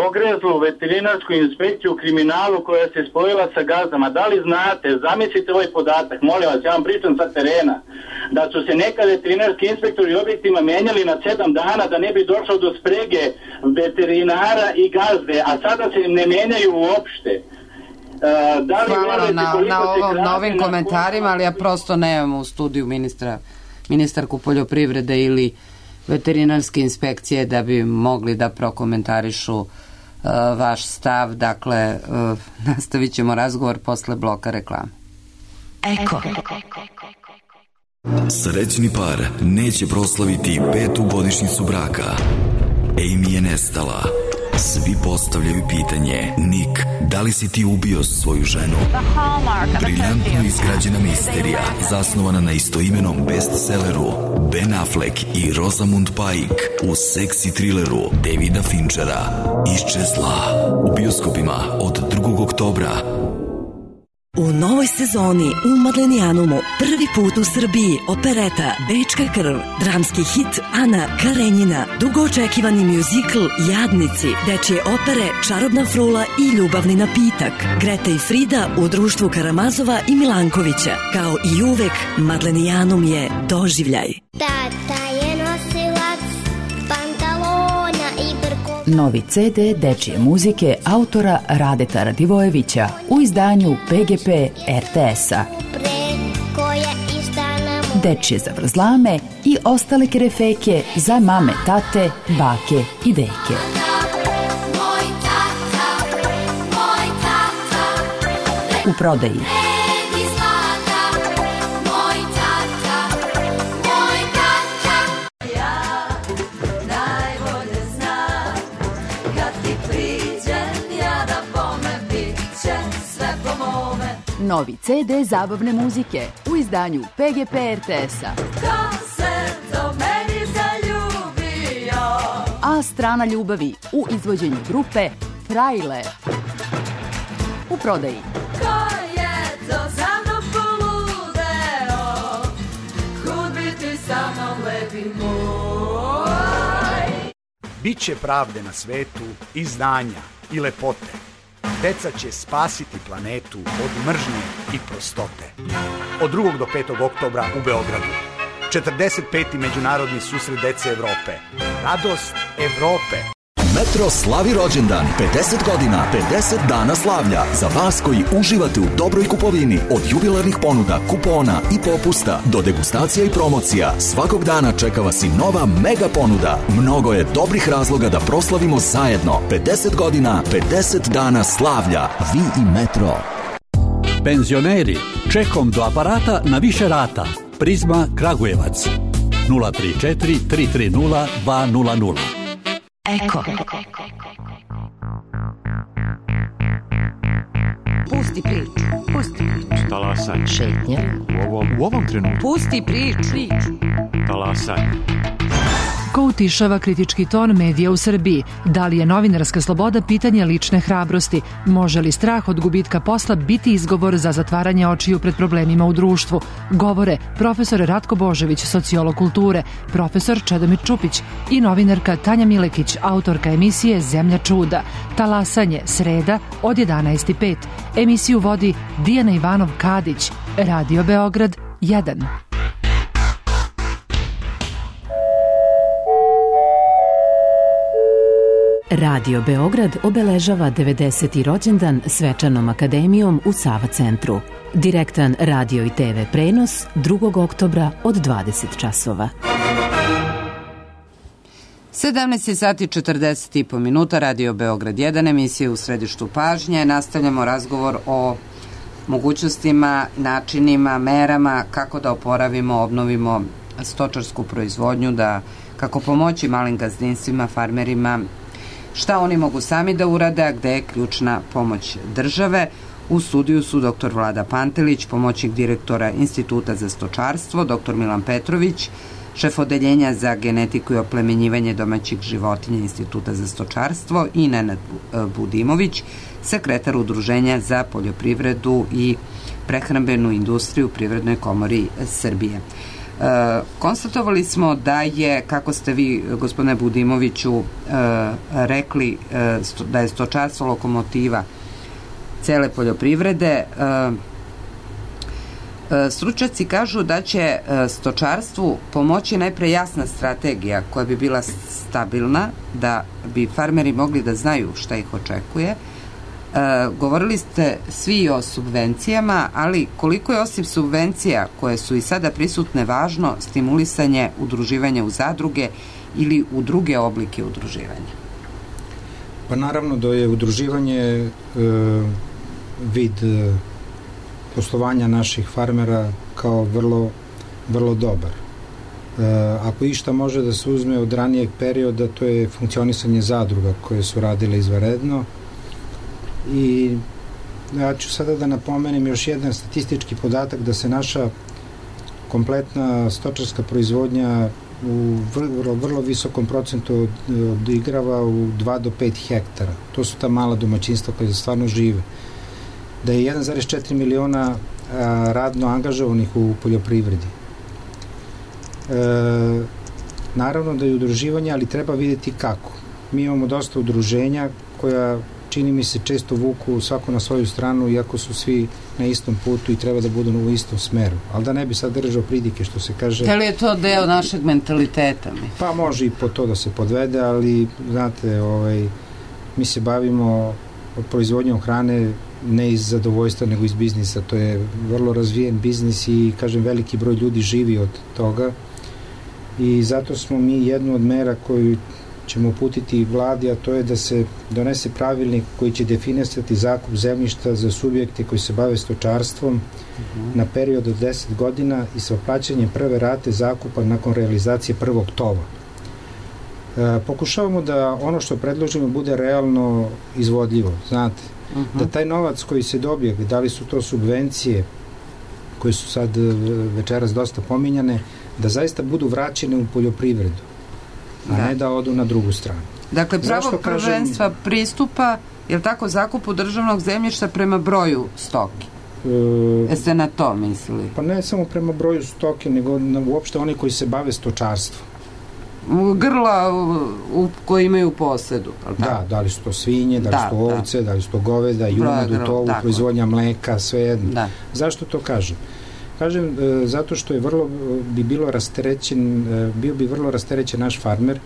S6: ogrezlu veterinarsku inspekciju u kriminalu koja se spojila sa gazdama? Da li znate, zamislite ovaj podatak, molim vas, ja vam pričam sa terena, da su se nekad veterinarski inspektori objektima menjali na sedam dana da ne bi došlo do sprege veterinara i gazde, a sada se ne menjaju uopšte. Da li
S1: Hvala
S6: verujete
S1: na,
S6: koliko
S1: na,
S6: se
S1: ovom,
S6: krade
S1: na ovim
S6: na
S1: komentarima, ali ja prosto nemam u studiju ministra, ministarku poljoprivrede ili veterinarske inspekcije da bi mogli da prokomentarišu uh, vaš stav. Dakle, uh, nastavit ćemo razgovor posle bloka reklame.
S8: Eko. Srećni par neće proslaviti petu godišnjicu braka. Amy je nestala. Svi postavljaju pitanje: Nick, da li si ti ubio svoju ženu? Briljantno izgrađena misterija, zasnovana na istoimenom bestselleru Ben Affleck i Rosamund Pike u seksi trileru Davida Finchera Iščezla, u bioskopima od drugog oktobra.
S9: U novoj sezoni u Madlenijanumu prvi put u Srbiji opereta Bečka krv, dramski hit Ana Karenjina, dugo očekivani mjuzikl Jadnici, dečje opere Čarobna frula i Ljubavni napitak, Greta i Frida u društvu Karamazova i Milankovića. Kao i uvek, Madlenijanum je doživljaj.
S10: Tata je nosilac pantalona i brkova.
S11: Novi ce de dečje muzike autora Radeta Radivojevića u izdanju pe ge pe er te es-a. Dečje zavrzlame i ostale kerefeke za mame, tate, bake i deke. U prodaji. Novi ce de zabavne muzike u izdanju pe ge pe er te es-a. A strana ljubavi u izvođenju grupe Trajle. U prodaji. Ko je to za mnom poludeo, kud bi ti sa mnom lepi moj.
S12: Biće pravde na svetu i znanja i lepote. Deca će spasiti planetu od mržnje i prostote. Od drugog do petog oktobra u Beogradu. četrdeset peti Međunarodni susret dece Evrope. Radost Evrope.
S8: Metro slavi rođendan, pedeset godina, pedeset dana slavlja. Za vas koji uživate u dobroj kupovini, od jubilarnih ponuda, kupona i popusta do degustacija i promocija, svakog dana čeka vas i nova mega ponuda. Mnogo je dobrih razloga da proslavimo zajedno. pedeset godina, pedeset dana slavlja. Vi i Metro.
S13: Penzioneri, čekom do aparata na više rata. Prizma Kragujevac. nula tri četiri tri tri nula dva nula nula.
S8: Eko.
S14: Pusti priču. Pusti priču.
S15: Talasaj.
S14: Šetnja.
S15: U ovom, u ovom trenutku.
S14: Pusti priču.
S15: Talasaj.
S16: Ko utišava kritički ton medija u Srbiji? Da li je novinarska sloboda pitanje lične hrabrosti? Može li strah od gubitka posla biti izgovor za zatvaranje očiju pred problemima u društvu? Govore profesor Ratko Božević, sociolog kulture, profesor Čedomir Čupić i novinarka Tanja Milekić, autorka emisije Zemlja čuda. Talasanje, sreda od jedanaest i pet. Emisiju vodi Dijana Ivanov-Kadić. Radio Beograd jedan.
S11: Radio Beograd obeležava devedeseti rođendan svečanom akademijom u Sava centru. Direktan radio i te ve prenos drugog oktobra od dvadeset časova.
S1: sedamnaest sati četrdeset i po minuta, Radio Beograd jedan, emisija u središtu pažnje. Nastavljamo razgovor o mogućnostima, načinima, merama kako da oporavimo, obnovimo stočarsku proizvodnju, da kako pomoći malim gazdinstvima, farmerima, šta oni mogu sami da urade, a gde je ključna pomoć države. U studiju su doktor Vlada Pantelić, pomoćnik direktora Instituta za stočarstvo, doktor Milan Petrović, šef odeljenja za genetiku i oplemenjivanje domaćih životinja Instituta za stočarstvo, i Nenad Budimović, sekretar Udruženja za poljoprivredu i prehrambenu industriju u Privrednoj komori Srbije. E, konstatovali smo da je, kako ste vi, gospodine Budimoviću, e, rekli, e, sto, da je stočarstvo lokomotiva cele poljoprivrede. E, e, stručnjaci kažu da će e, stočarstvu pomoći najpre jasna strategija koja bi bila stabilna, da bi farmeri mogli da znaju šta ih očekuje. E, govorili ste svi o subvencijama, ali koliko je osim subvencija koje su i sada prisutne važno stimulisanje udruživanja u zadruge ili u druge oblike udruživanja?
S4: Pa naravno da je udruživanje e, vid e, poslovanja naših farmera kao vrlo, vrlo dobar. E, ako išta može da se uzme od ranijeg perioda, to je funkcionisanje zadruga koje su radile izvanredno. I ja ću sada da napomenem još jedan statistički podatak, da se naša kompletna stočarska proizvodnja u vrlo, vrlo visokom procentu odigrava u dva do pet hektara. To su ta mala domaćinstva koja stvarno žive. Da je jedan zarez četiri miliona a, radno angažovanih u poljoprivredi. E, naravno da je udruživanje, ali treba vidjeti kako. Mi imamo dosta udruženja koja, čini mi se, često vuku svako na svoju stranu, iako su svi na istom putu i treba da budu u istom smeru. Ali da ne bi sad držao pridike, što se kaže...
S1: Da li je to deo našeg mentaliteta? Mi?
S4: Pa može i po to da se podvede, ali znate, ovaj, mi se bavimo proizvodnjom hrane ne iz zadovoljstva, nego iz biznisa. To je vrlo razvijen biznis i, kažem, veliki broj ljudi živi od toga i zato smo mi jednu od mera koju ćemo uputiti vladi, a to je da se donese pravilnik koji će definisati zakup zemljišta za subjekte koji se bave stočarstvom uh-huh. na period od deset godina i sa plaćanjem prve rate zakupa nakon realizacije prvog tova. E, pokušavamo da ono što predložimo bude realno izvodljivo, znate, uh-huh. da taj novac koji se dobije, da li su to subvencije koje su sad večeras dosta pominjane, da zaista budu vraćene u poljoprivredu, a da. ne da odu na drugu stranu.
S1: Dakle, pravo prvenstva kažem, pristupa, je li tako, zakupu državnog zemljišta prema broju stoke? E, Jeste na to mislili?
S4: Pa ne samo prema broju stoke, nego na, uopšte oni koji se bave stočarstvom.
S1: Grla u, u, koji imaju posedu.
S4: Da, da li su to svinje, da li da, su to ovce, da. da li su to goveda, junadu, tovu, proizvodnja mleka, sve jedno. Da. Zašto to kažem? Kažem, e, zato što je vrlo, bi bilo rasterećen, e, bio bi vrlo rasterećen naš farmer,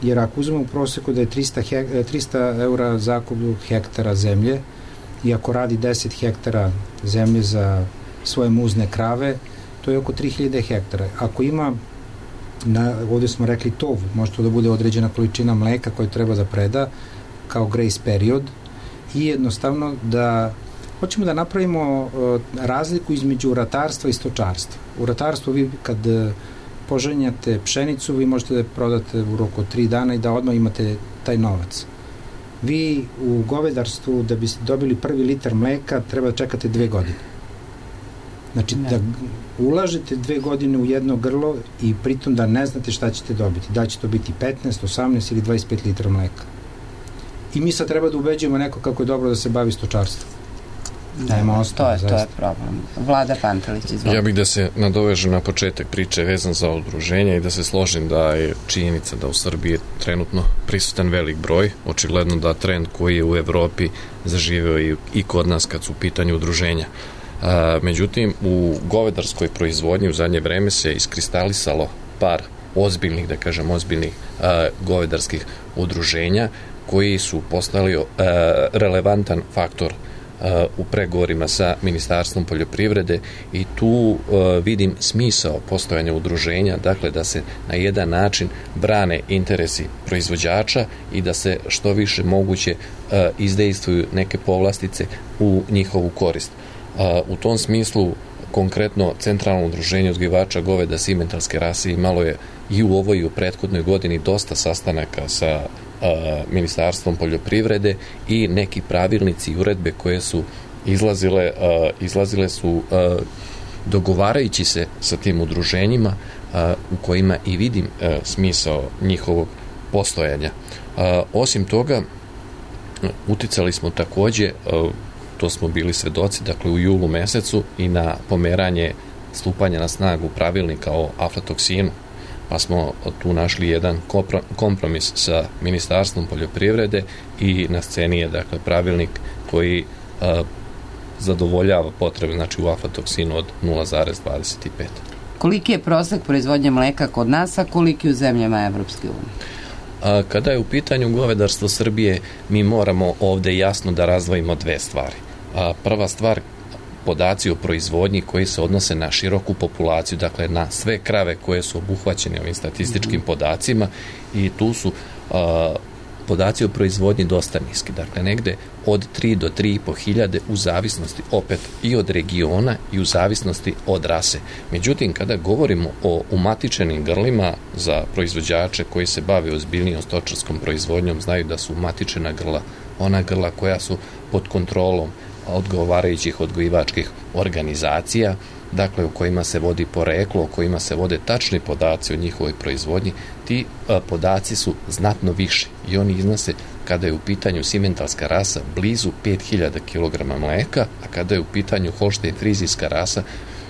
S4: jer ako uzmemo u proseku da je trista, hek, trista eura zakup hektara zemlje i ako radi deset hektara zemlje za svoje muzne krave, to je oko tri hiljade hektara. Ako ima, na, ovdje smo rekli tovu, može to da bude određena količina mleka koju treba da preda kao grace period i jednostavno da hoćemo da napravimo uh, razliku između ratarstva i stočarstva. U ratarstvu vi kad uh, poženjate pšenicu, vi možete da je prodate u roku od tri dana i da odmah imate taj novac. Vi u govedarstvu, da biste dobili prvi litar mleka, treba da čekate dve godine. Znači, ne. da ulažete dve godine u jedno grlo i pritom da ne znate šta ćete dobiti. Da će to biti petnaest, osamnaest ili dvadeset pet litara mleka. I mi sad treba da ubeđujemo neko kako je dobro da se bavi stočarstvom.
S1: Da, Nema ostalo, to, je, to je problem. Vlada Pantelić, izvolite.
S2: Ja bih da se nadovežem na početak priče vezan za udruženje i da se složim da je činjenica da u Srbiji je trenutno prisutan velik broj, očigledno da trend koji je u Evropi zaživeo i, i kod nas kad su u pitanju udruženja. A, međutim, u govedarskoj proizvodnji u zadnje vreme se iskristalisalo par ozbiljnih, da kažem, ozbiljnih a, govedarskih udruženja koji su postali a, relevantan faktor u pregovorima sa Ministarstvom poljoprivrede i tu uh, vidim smisao postojanja udruženja, dakle da se na jedan način brane interesi proizvođača i da se što više moguće uh, izdejstvuju neke povlastice u njihovu korist. Uh, u tom smislu konkretno Centralno udruženje uzgajivača goveda simentalske rase imalo je i u ovoj i u prethodnoj godini dosta sastanaka sa Ministarstvom poljoprivrede i neki pravilnici i uredbe koje su izlazile, izlazile su dogovarajući se sa tim udruženjima u kojima i vidim smisao njihovog postojanja. Osim toga, uticali smo takođe, to smo bili svedoci, dakle u julu mesecu, i na pomeranje stupanja na snagu pravilnika o aflatoksinu, pa smo tu našli jedan kompromis sa Ministarstvom poljoprivrede i na sceni je, dakle, pravilnik koji a, zadovoljava potrebe, znači, u aflatoksinu od nula zarez dvadeset pet.
S1: Koliki je prosek proizvodnje mleka kod nas, a koliki u zemljama Evropske unije?
S2: Kada je u pitanju govedarstvo Srbije, mi moramo ovde jasno da razdvojimo dve stvari. A, prva stvar, podaci o proizvodnji koji se odnose na široku populaciju, dakle na sve krave koje su obuhvaćene ovim statističkim podacima, i tu su a, podaci o proizvodnji dosta niski, dakle negde od tri do tri i po hiljade u zavisnosti opet i od regiona i u zavisnosti od rase. Međutim, kada govorimo o umatičenim grlima, za proizvođače koji se bave ozbiljnijom stočarskom proizvodnjom znaju da su umatičena grla ona grla koja su pod kontrolom odgovarajućih odgojivačkih organizacija, dakle u kojima se vodi poreklo, u kojima se vode tačni podaci o njihovoj proizvodnji. Ti a, podaci su znatno više i oni iznose, kada je u pitanju simentalska rasa, blizu pet hiljada kilograma mleka, a kada je u pitanju holštajn frizijska rasa,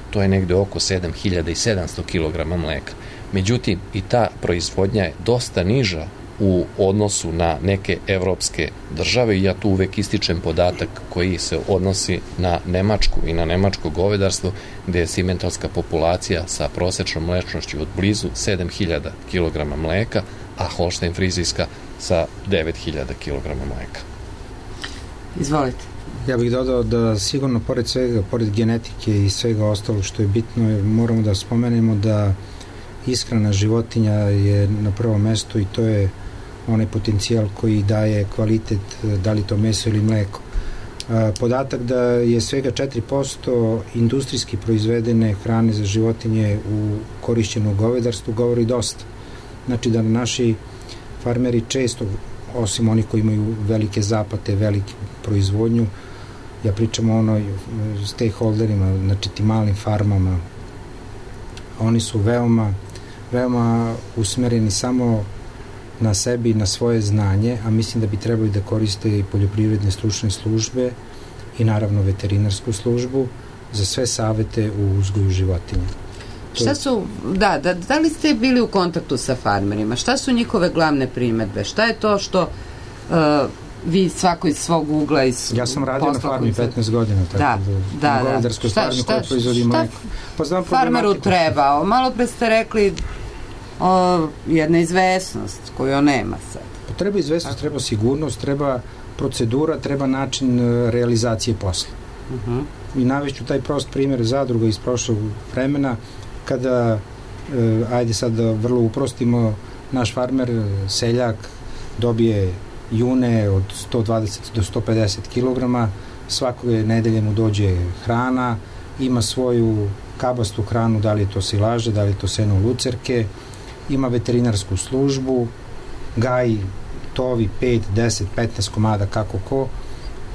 S2: to je negde oko sedam hiljada sedamsto kilograma mleka. Međutim, i ta proizvodnja je dosta niža u odnosu na neke evropske države, i ja tu uvek ističem podatak koji se odnosi na Nemačku i na nemačko govedarstvo, gde je simentalska populacija sa prosečnom mlečnošću od blizu sedam hiljada kilograma mleka, a holštajn frizijska sa devet hiljada kilograma mleka.
S1: Izvolite.
S4: Ja bih dodao da sigurno pored svega, pored genetike i svega ostalo što je bitno, moramo da spomenemo da ishrana životinja je na prvom mestu i to je onaj potencijal koji daje kvalitet, da li to meso ili mleko. Podatak da je svega četiri posto industrijski proizvedene hrane za životinje u korišćenu govedarstvu govori dosta. Znači da naši farmeri često, osim onih koji imaju velike zapate, velike proizvodnju, ja pričam o onoj stakeholderima, znači tim malim farmama, oni su veoma, veoma usmereni samo na sebi i na svoje znanje, a mislim da bi trebali da koriste i poljoprivredne stručne službe i naravno veterinarsku službu za sve savete u uzgoju životinja.
S1: Šta su, da, da, da li ste bili u kontaktu sa farmerima? Šta su njihove glavne primetbe? Šta je to što uh, vi svako iz svog ugla iz
S4: ja sam radio na farmi petnaest godina, tako da,
S1: da,
S4: na govedarskoj farmi koja proizvodi mleko.
S1: Pa znam farmeru trebao. Malo pre ste rekli o, jedna izvesnost koju on nema sad.
S4: Pa treba izvesnost, treba sigurnost, treba procedura, treba način realizacije posla. Uh-huh. I navešću taj prost primjer zadruga iz prošlog vremena, kada, e, ajde sad da vrlo uprostimo, naš farmer, seljak, dobije june od sto dvadeset do sto pedeset kilograma, svakog nedelje mu dođe hrana, ima svoju kabastu hranu, da li je to silaže, da li je to seno lucerke, ima veterinarsku službu, gaji, tovi pet, deset, petnaest komada kako ko,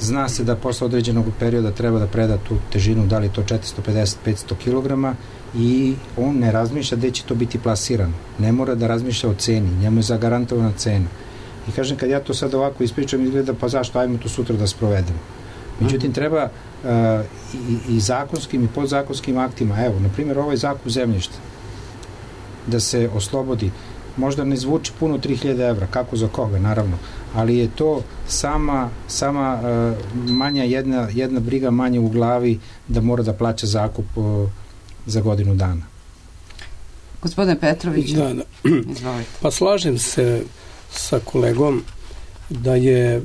S4: zna se da posle određenog perioda treba da preda tu težinu, da li je to četiristo pedeset do petsto kilograma, i on ne razmišlja gde će to biti plasirano. Ne mora da razmišlja o ceni, njemu je zagarantovana cena. I kažem, kad ja to sad ovako ispričam, izgleda pa zašto, ajmo to sutra da sprovedemo. Međutim, treba uh, i, i zakonskim i podzakonskim aktima, evo, na primjer, ovaj zakup zemljišta, da se oslobodi, možda ne zvuči puno tri hiljade evra, kako za koga, naravno, ali je to sama, sama uh, manja jedna, jedna briga manje u glavi da mora da plaća zakup uh, za godinu dana.
S1: Gospodine Petrović,
S3: da, da.
S1: Izvolite.
S3: Pa slažem se sa kolegom da je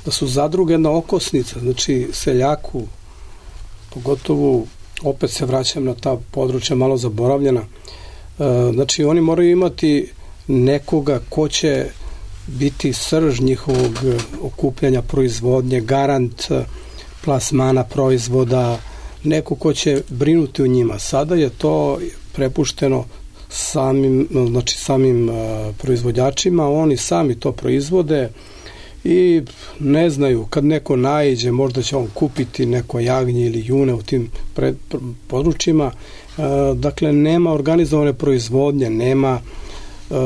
S3: da su zadruge jedna okosnica, znači seljaku, pogotovo opet se vraćam na ta područja malo zaboravljena, znači oni moraju imati nekoga ko će biti srž njihovog okupljanja proizvodnje, garant plasmana proizvoda, neko ko će brinuti o njima. Sada je to prepušteno samim, znači samim uh, proizvođačima, oni sami to proizvode i ne znaju, kad neko naiđe, možda će on kupiti neko jagnje ili june u tim pred, područjima dakle nema organizovane proizvodnje, nema Uh,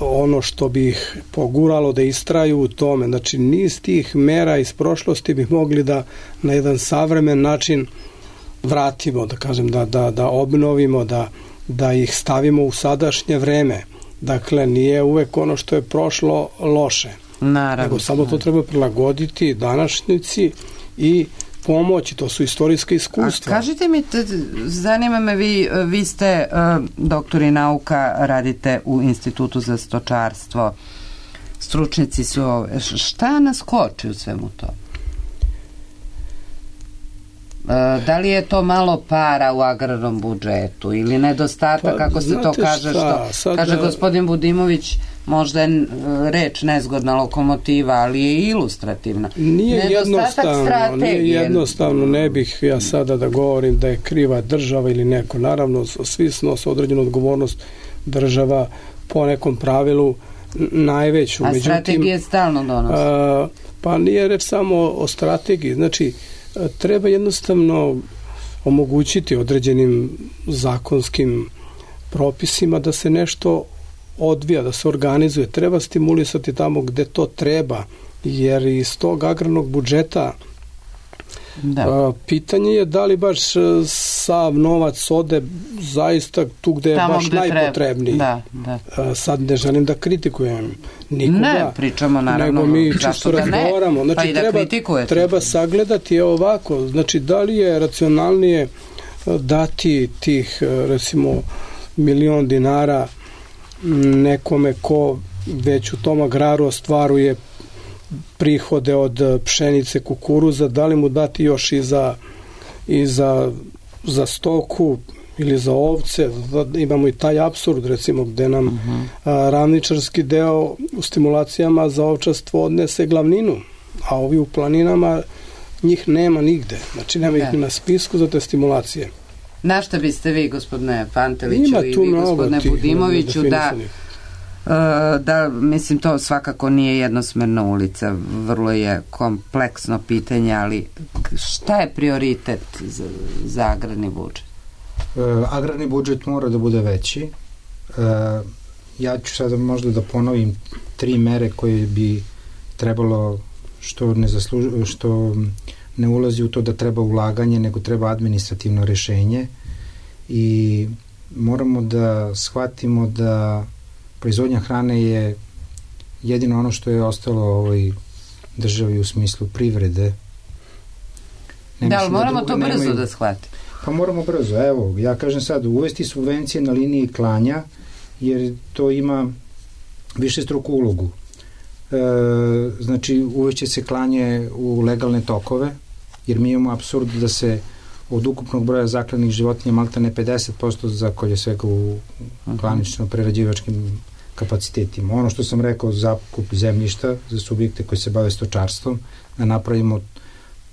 S3: ono što bi ih poguralo da istraju u tome. Znači niz tih mera iz prošlosti bi mogli da na jedan savremen način vratimo, da kažem, da, da, da obnovimo, da, da ih stavimo u sadašnje vreme. Dakle, nije uvek ono što je prošlo loše.
S1: Naravno.
S3: Nego samo to treba prilagoditi današnjici i pomoći, to su istorijska iskustva.
S1: A kažite mi, te, zanima me, vi, vi ste uh, doktori nauka, radite u Institutu za stočarstvo, stručnici su ove. Šta nas koči u svemu to? Uh, da li je to malo para u agrarnom budžetu ili nedostatak, pa, kako se to kaže, šta, što sad, kaže gospodin Budimović, možda je reč nezgodna lokomotiva, ali je ilustrativna.
S3: Nije jednostavno, nije jednostavno, ne bih ja sada da govorim da je kriva država ili neko. Naravno, svi snose određenu odgovornost, država po nekom pravilu najveću.
S1: A međutim, strategije stalno donose?
S3: A, pa nije reč samo o strategiji, znači treba jednostavno omogućiti određenim zakonskim propisima da se nešto odvija, da se organizuje. Treba stimulisati tamo gde to treba, jer iz tog agrarnog budžeta da. A, pitanje je da li baš sav novac ode zaista tu gde je tamo baš gde najpotrebniji.
S1: Da, da.
S3: A, sad ne želim da kritikujem nikoga.
S1: Ne, pričamo naravno.
S3: Nego mi čisto razgovaramo. Znači,
S1: pa i da
S3: treba,
S1: kritikujete.
S3: Treba sagledati ovako. Znači, da li je racionalnije dati tih, recimo, milion dinara nekome ko već u tom agraru ostvaruje prihode od pšenice, kukuruza, da li mu dati još i za, i za, za stoku ili za ovce. Imamo i taj apsurd, recimo, gde nam uh-huh. a, ravničarski deo u stimulacijama za ovčarstvo odnese glavninu, a ovi u planinama njih nema nigde. Znači nema ih ni na spisku za te stimulacije.
S1: Na šta biste vi, gospodine Panteliću, i vi, gospodine Budimoviću, da, da, mislim, to svakako nije jednosmerna ulica, vrlo je kompleksno pitanje, ali šta je prioritet za, za agrarni budžet?
S4: E, agrarni budžet mora da bude veći. E, ja ću sada možda da ponovim tri mere koje bi trebalo, što ne zaslužuje, što ne ulazi u to da treba ulaganje, nego treba administrativno rešenje i moramo da shvatimo da proizvodnja hrane je jedino ono što je ostalo u ovoj državi u smislu privrede.
S1: Ne da, ali moramo da, to brzo nemaju, da shvatimo.
S4: Pa moramo brzo. Evo, ja kažem sad, uvesti subvencije na liniji klanja, jer to ima više struku ulogu. E, znači, uveće se klanje u legalne tokove, jer mi imamo apsurd da se od ukupnog broja zaklanih životinja maltene pedeset posto zakolje svega u klanično-prerađivačkim kapacitetima. Ono što sam rekao, zakup zemljišta za subjekte koji se bave stočarstvom, da napravimo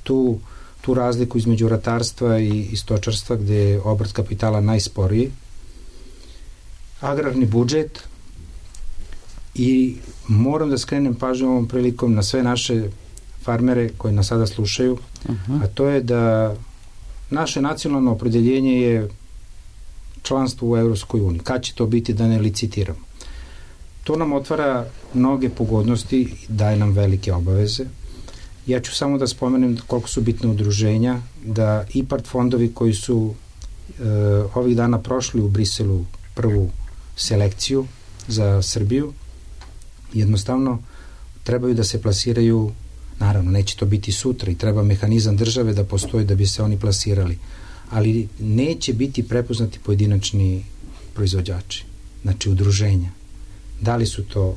S4: tu, tu razliku između ratarstva i, i stočarstva, gde je obrt kapitala najsporiji. Agrarni budžet i moram da skrenem pažnju ovom prilikom na sve naše farmere koji nas sada slušaju, uh-huh. a to je da naše nacionalno opredeljenje je članstvo u Evropskoj uniji. Kad će to biti, da ne licitiramo? To nam otvara mnoge pogodnosti i daje nam velike obaveze. Ja ću samo da spomenem koliko su bitne udruženja, da IPARD fondovi koji su e, ovih dana prošli u Briselu prvu selekciju za Srbiju, jednostavno trebaju da se plasiraju. Naravno, neće to biti sutra i treba mehanizam države da postoji da bi se oni plasirali. Ali neće biti prepoznati pojedinačni proizvođači, znači udruženja. Da li su to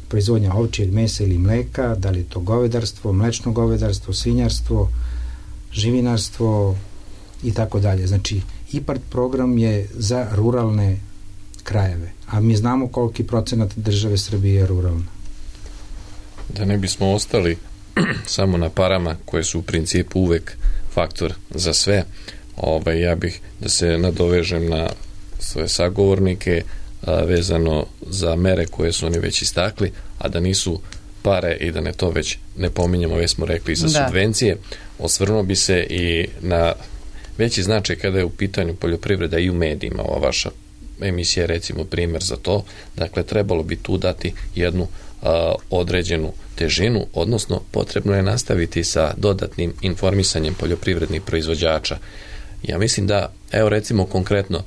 S4: proizvodnja ovčjeg mesa ili mleka, da li je to govedarstvo, mlečno govedarstvo, svinjarstvo, živinarstvo i tako dalje. Znači, IPARD program je za ruralne krajeve, a mi znamo koliki procenat države Srbije je ruralna.
S2: Da ne bismo ostali samo na parama koje su u principu uvek faktor za sve, ovaj, ja bih da se nadovežem na svoje sagovornike a, vezano za mere koje su oni već istakli, a da nisu pare i da ne to već ne pominjamo, već smo rekli za da. subvencije. Osvrnuo bi se i na veći značaj kada je u pitanju poljoprivreda i u medijima. Ova vaša emisija je recimo primjer za to. Dakle, trebalo bi tu dati jednu a, određenu težinu, odnosno potrebno je nastaviti sa dodatnim informisanjem poljoprivrednih proizvođača. Ja mislim da, evo recimo konkretno,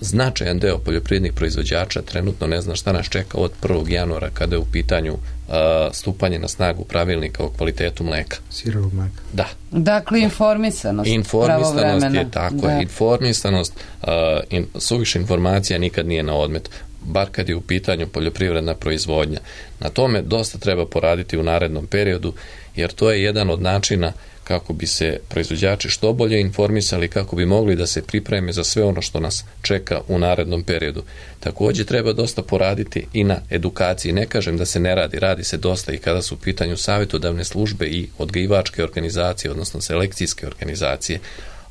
S2: značajan deo poljoprivrednih proizvođača trenutno ne zna šta nas čeka od prvog januara kada je u pitanju uh, stupanje na snagu pravilnika o kvalitetu mleka.
S4: Sirovog mleka.
S2: Da.
S1: Dakle, informisanost.
S2: Informisanost je tako, da. Informisanost, uh, in, suviše informacija nikad nije na odmet, bar kad je u pitanju poljoprivredna proizvodnja. Na tome dosta treba poraditi u narednom periodu, jer to je jedan od načina kako bi se proizvođači što bolje informisali, kako bi mogli da se pripreme za sve ono što nas čeka u narednom periodu. Također treba dosta poraditi i na edukaciji. Ne kažem da se ne radi, radi se dosta i kada su u pitanju savjetodavne službe i odgajivačke organizacije, odnosno selekcijske organizacije,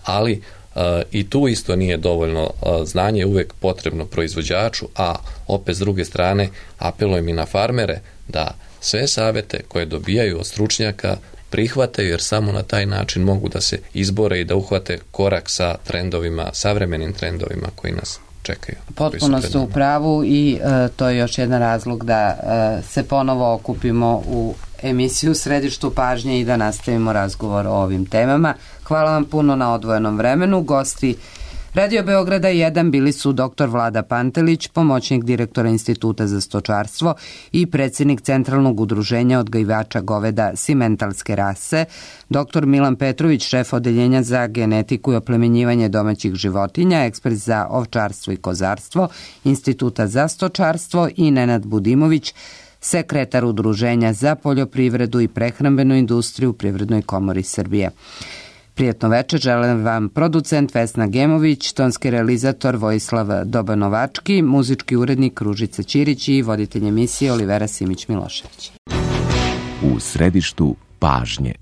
S2: ali uh, i tu isto nije dovoljno. Uh, znanje je uvek potrebno proizvođaču, a opet s druge strane apelujem i na farmere da sve savjete koje dobijaju od stručnjaka prihvataju, jer samo na taj način mogu da se izbore i da uhvate korak sa trendovima, savremenim trendovima koji nas čekaju.
S1: Potpuno ste u pravu i e, to je još jedan razlog da e, se ponovo okupimo u emisiju Središtu pažnje i da nastavimo razgovor o ovim temama. Hvala vam puno na odvojenom vremenu. Gosti Radio Beograda jedan bili su doktor Vlada Pantelić, pomoćnik direktora Instituta za stočarstvo i predsjednik Centralnog udruženja odgajivača goveda simentalske rase, doktor Milan Petrović, šef odeljenja za genetiku i oplemenjivanje domaćih životinja, ekspert za ovčarstvo i kozarstvo Instituta za stočarstvo i Nenad Budimović, sekretar Udruženja za poljoprivredu i prehrambenu industriju u Privrednoj komori Srbije. Prijetno večer želim vam producent Vesna Gemović, tonski realizator Vojislav Dobanovački, muzički urednik Ružica Ćirić i voditelj emisije Olivera Simić-Milošević.
S17: U središtu pažnje.